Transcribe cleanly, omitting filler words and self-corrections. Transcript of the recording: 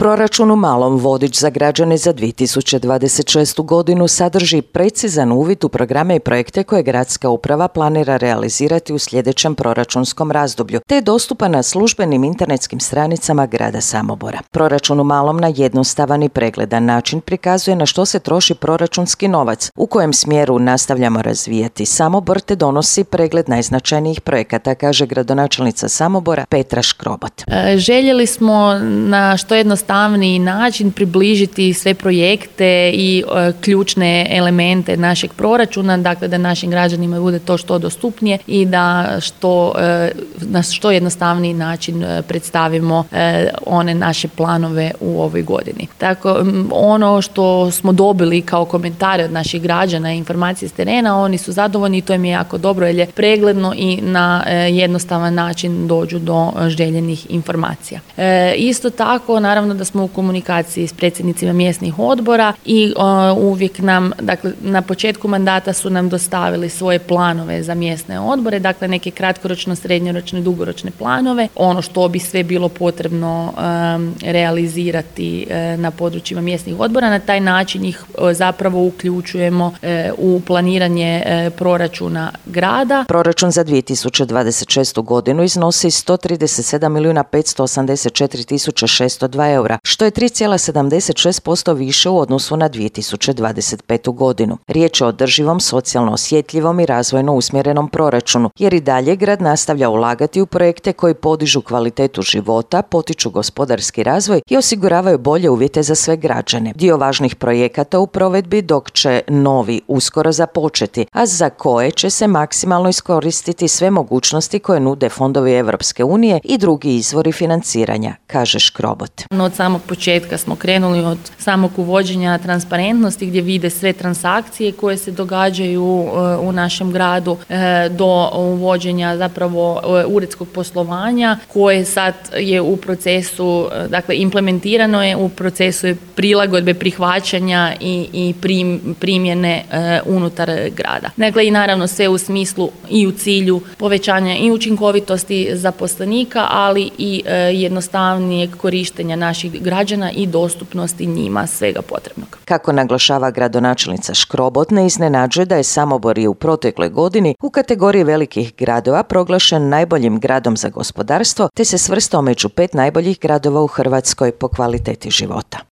Proračun u malom vodič za građane za 2026. godinu sadrži precizan uvid u programe i projekte koje gradska uprava planira realizirati u sljedećem proračunskom razdoblju, te je dostupan na službenim internetskim stranicama grada Samobora. Proračun u malom na jednostavan i pregledan način prikazuje na što se troši proračunski novac, u kojem smjeru nastavljamo razvijati Samobor te donosi pregled najznačajnijih projekata, kaže gradonačelnica Samobora Petra Škrobot. Željeli smo na što jednostavniji način približiti sve projekte i ključne elemente našeg proračuna, dakle da našim građanima bude to što dostupnije i da na što jednostavniji način predstavimo one naše planove u ovoj godini. Tako, ono što smo dobili kao komentare od naših građana i informacije s terena, oni su zadovoljni i to im je jako dobro jer je pregledno i na jednostavan način dođu do željenih informacija. Isto tako, naravno da smo u komunikaciji s predsjednicima mjesnih odbora i uvijek nam, dakle na početku mandata su nam dostavili svoje planove za mjesne odbore, dakle neke kratkoročno, srednjoročne, dugoročne planove, ono što bi sve bilo potrebno realizirati na područjima mjesnih odbora. Na taj način ih zapravo uključujemo u planiranje proračuna grada. Proračun za 2026. godinu iznosi 131.584.602 eura, što je 3,76% više u odnosu na 2025. godinu. Riječ je o održivom, socijalno osjetljivom i razvojno usmjerenom proračunu, jer i dalje grad nastavlja ulagati u projekte koji podižu kvalitetu života, potiču gospodarski razvoj i osiguravaju bolje uvjete za sve građane. Dio važnih projekata u provedbi, dok će novi uskoro započeti, a za koje će se maksimalno iskoristiti sve mogućnosti koje nude fondovi Europske unije i drugi izvori financiranja, kaže Škrobot. Od samog početka smo krenuli od samog uvođenja transparentnosti gdje vide sve transakcije koje se događaju u našem gradu do uvođenja zapravo uredskog poslovanja koje sad je u procesu, dakle implementirano je, u procesu je prilagodbe, prihvaćanja i primjene unutar grada. Dakle i naravno sve u smislu i u cilju povećanja i učinkovitosti zaposlenika, ali i jednostavnijeg korištenja naših građana i dostupnosti njima svega potrebnog. Kako naglašava gradonačelnica Škrobot, ne iznenađuje da je Samobor u protekloj godini u kategoriji velikih gradova proglašen najboljim gradom za gospodarstvo te se svrstao među 5 najboljih gradova u Hrvatskoj po kvaliteti života.